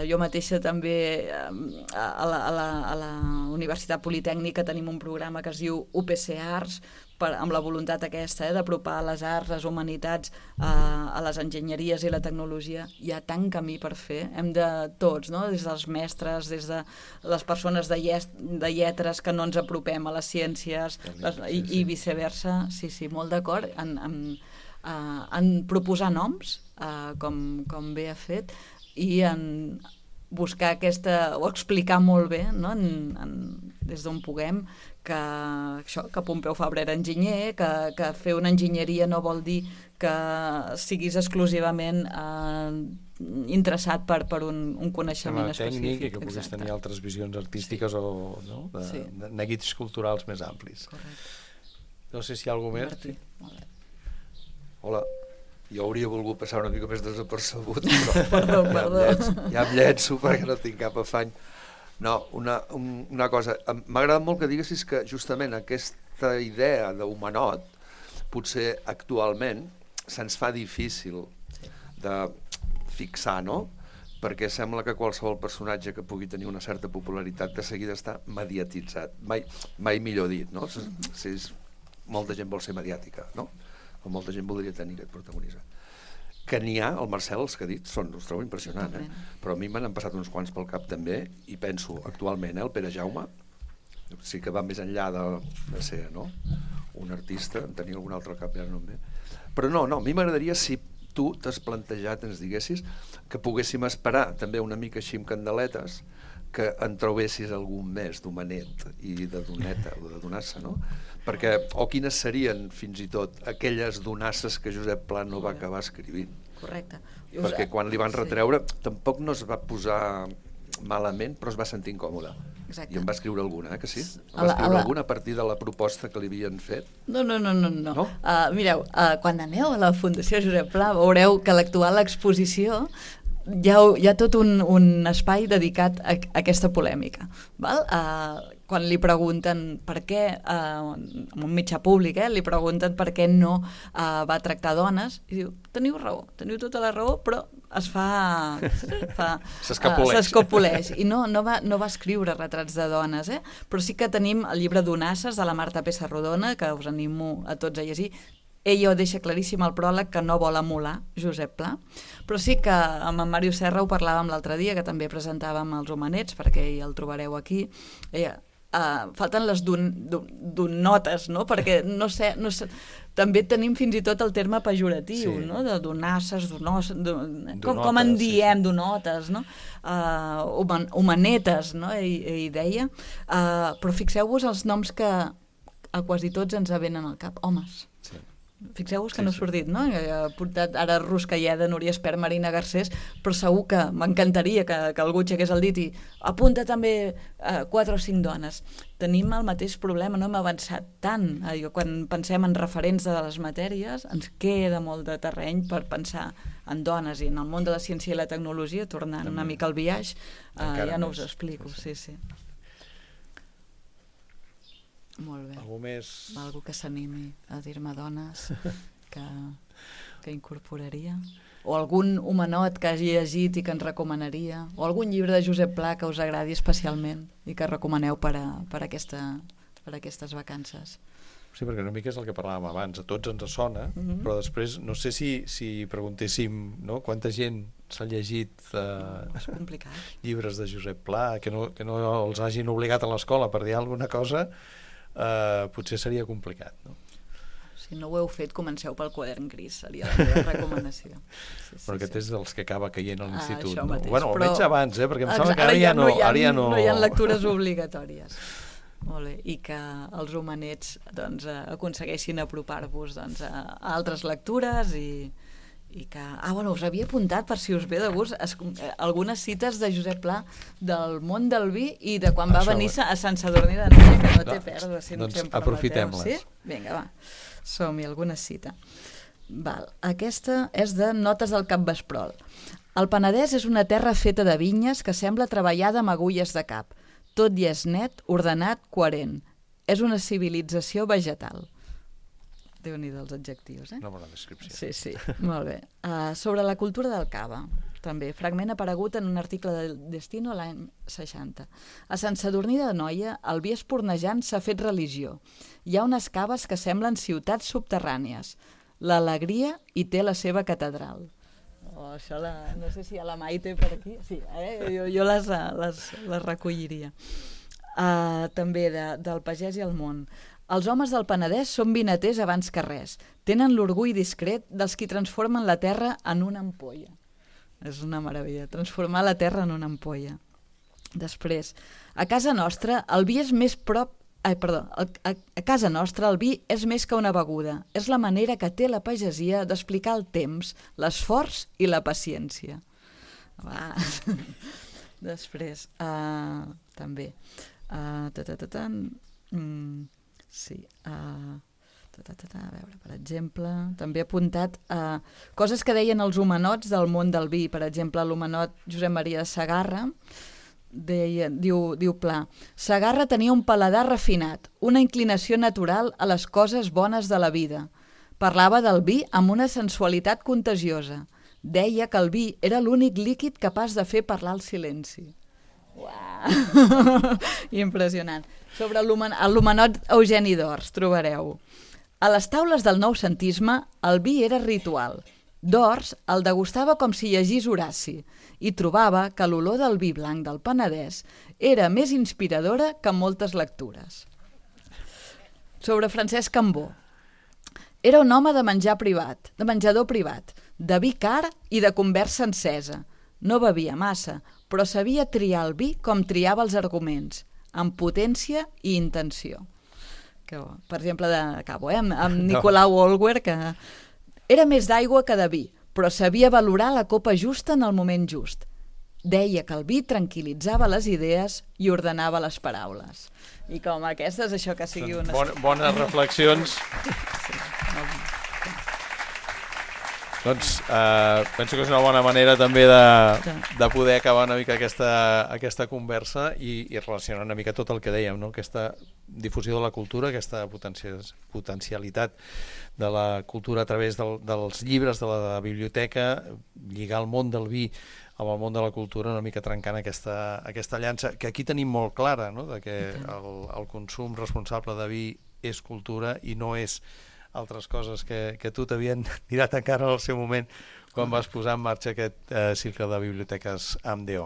Jo mateixa també a la Universitat Politècnica tenim un programa que es diu UPC Arts, amb la voluntat aquesta d'apropar les arts, les humanitats a les enginyeries i la tecnologia. Hi ha tant camí per fer, hem de tots, no?, des dels mestres, des de les persones de lletres que no ens apropem a les ciències i viceversa. Sí, molt d'acord en proposar noms, com bé ha fet, i en buscar aquesta, o explicar molt bé, no?, des d'on puguem, que Pompeu Fabra era enginyer, que fer una enginyeria no vol dir que siguis exclusivament interessat per un coneixement específic. Tècnic, i que puguis tenir altres visions artístiques o de neguits culturals més amplis. Correcte. No sé si hi ha alguna més. Martí, molt bé. Hola. Jo hauria volgut passar una mica més desapercebut, però ja em llenço perquè no tinc cap afany. No, una cosa, m'ha agradat molt que diguessis que justament aquesta idea d'humanot potser actualment se'ns fa difícil de fixar, no? Perquè sembla que qualsevol personatge que pugui tenir una certa popularitat de seguida està mediatitzat. Mai millor dit, no? Molta gent vol ser mediàtica, no? O molta gent voldria tenir aquest protagonisme. Que n'hi ha, el Marcel, els que ha dit, els trobo impressionant, però a mi m'han passat uns quants pel cap també, i penso actualment, el Pere Jaume, sí que va més enllà de ser, no?, un artista, en tenia algun altre al cap, ja no em ve. Però no, a mi m'agradaria, si tu t'has plantejat, ens diguessis, que poguéssim esperar també una mica així amb candeletes, que en trobessis algun més d'Humanet i de Doneta o de Donassa, no? Perquè, o quines serien fins i tot aquelles donasses que Josep Pla no va acabar escrivint. Correcte. Perquè quan li van retreure tampoc no es va posar malament, però es va sentir incòmode. Exacte. I en va escriure alguna, que sí? En va escriure alguna a partir de la proposta que li havien fet? No. Mireu, quan aneu a la Fundació Josep Pla veureu que a l'actual exposició hi ha tot un espai dedicat a aquesta polèmica. Val? Quan li pregunten per què, en un mitjà públic, li pregunten per què no va tractar dones, i diu, teniu raó, teniu tota la raó, però es fa s'escopoleix. I no va escriure retrats de dones, però sí que tenim el llibre d'Onasses de la Marta Pessarrodona, que us animo a tots a llegir. Ella ho deixa claríssim al pròleg, que no vol emular Josep Pla, però sí que amb en Màrius Serra ho parlàvem l'altre dia, que també presentàvem els Humanets, perquè ja el trobareu aquí. Falten les donotes, no? Perquè no sé, també tenim fins i tot el terme pejoratiu, no? De donasses, com en diem, donotes, no? Humanetes, no? Ell deia. Però fixeu-vos els noms que a quasi tots ens venen al cap, homes. Fixeu-vos que no ha sortit, no? Ha portat ara Ruscalleda, Núria Espert, Marina Garcés, però segur que m'encantaria que algú aixequés el dit i apunta també 4 o 5 dones. Tenim el mateix problema, no hem avançat tant. Quan pensem en referents de les matèries, ens queda molt de terreny per pensar en dones, i en el món de la ciència i la tecnologia, tornant una mica al biaix, ja no us explico, sí. Molt bé. Algú més? Algú que s'animi a dir-me dones que... que incorporaria? O algun homenot que hagi llegit i que ens recomanaria? O algun llibre de Josep Pla que us agradi especialment i que recomaneu per aquestes vacances? Sí, perquè una mica és el que parlàvem abans, a tots ens sona, però després no sé si preguntéssim, no, quanta gent s'ha llegit És complicat. llibres de Josep Pla, que no els hagin obligat a l'escola per dir alguna cosa, potser seria complicat, no? Si no ho heu fet, comenceu pel quadern gris, seria la meva recomanació. Però aquest és dels que acaba caient a l'institut, això no? mateix, Bueno, però... almenys abans, perquè em sembla que ara ja no... No hi ha lectures obligatòries. Molt bé. I que els homenets doncs, aconsegueixin apropar-vos doncs, a altres lectures i que... bueno, us havia apuntat, per si us ve de gust, algunes cites de Josep Pla del món del vi i de quan va venir a Sant Sadurní d'Anoia, que no té pèrdua, si doncs em permeteu. aprofitem-les. Sí? Vinga, va. Som-hi, alguna cita. Val. Aquesta és de Notes del Capvesprol. El Penedès és una terra feta de vinyes que sembla treballada amb agulles de cap. Tot hi és net, ordenat, coherent. És una civilització vegetal. Déu-n'hi-do els adjectius, Una bona descripció. Sí, molt bé. Sobre la cultura del cava, també, fragment aparegut en un article del Destino l'any 60. A Sant Sadurní d'Anoia, el vi espurnejant s'ha fet religió. Hi ha unes caves que semblen ciutats subterrànies. L'alegria hi té la seva catedral. Això no sé si hi ha la Maite per aquí. Sí, jo les recolliria. També del pagès i el món. Els homes del Penedès són vinaters abans que res. Tenen l'orgull discret dels qui transformen la terra en una ampolla. És una meravella, transformar la terra en una ampolla. Després, a casa nostra el vi és més prop... a casa nostra el vi és més que una beguda. És la manera que té la pagesia d'explicar el temps, l'esforç i la paciència. Després, també... Sí, a veure, per exemple, també he apuntat coses que deien els homenots del món del vi. Per exemple, l'homenot Josep Maria de Segarra diu Pla: Segarra tenia un paladar refinat, una inclinació natural a les coses bones de la vida. Parlava del vi amb una sensualitat contagiosa. Deia que el vi era l'únic líquid capaç de fer parlar el silenci. Uau! Impressionant. Sobre l'homenot Eugeni d'Ors trobareu: a les taules del noucentisme el vi era ritual. D'Ors el degustava com si llegís Horaci i trobava que l'olor del vi blanc del Penedès era més inspiradora que moltes lectures. Sobre Francesc Cambó: era un home de menjador privat, de vi car i de conversa encesa. No bevia massa, però sabia triar el vi com triava els arguments, amb potència i intenció. Per exemple, acabo, amb Nicolau Olwer, que era més d'aigua que de vi, però sabia valorar la copa justa en el moment just. Deia que el vi tranquil·litzava les idees i ordenava les paraules. I com aquestes, això que sigui una... Bones reflexions. Doncs penso que és una bona manera també de poder acabar una mica aquesta conversa i relacionar una mica tot el que dèiem, no? Aquesta difusió de la cultura, aquesta potencialitat de la cultura a través dels llibres de la biblioteca, lligar el món del vi amb el món de la cultura, una mica trencant aquesta llança, que aquí tenim molt clara, no? De que el consum responsable de vi és cultura i no és altres coses que tu t'havien tirat a cara al seu moment quan vas posar en marxa aquest cicle de biblioteques amb DO.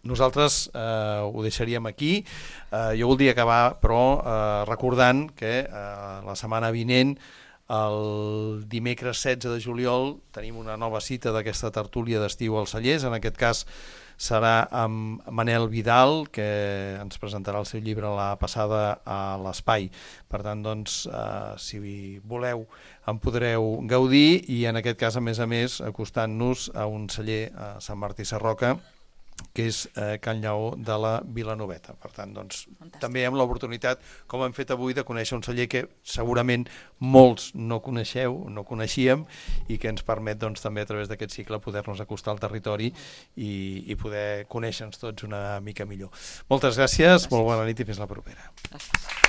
Nosaltres ho deixaríem aquí. Jo voldria acabar, però, recordant que la setmana vinent, el dimecres 16 de juliol, tenim una nova cita d'aquesta tertúlia d'estiu als Cellers. En aquest cas serà amb Manel Vidal, que ens presentarà el seu llibre La passada a l'espai. Per tant, doncs, si voleu, en podreu gaudir i, en aquest cas, a més, acostant-nos a un celler a Sant Martí Sarroca, que és Can Lleó de la Vilanoveta. Per tant, doncs, també hem l'oportunitat, com hem fet avui, de conèixer un celler que segurament molts no coneixíem i que ens permet doncs, també a través d'aquest cicle poder-nos acostar al territori i poder conèixer-nos tots una mica millor. Moltes gràcies, molt bona nit i fins la propera. Gràcies.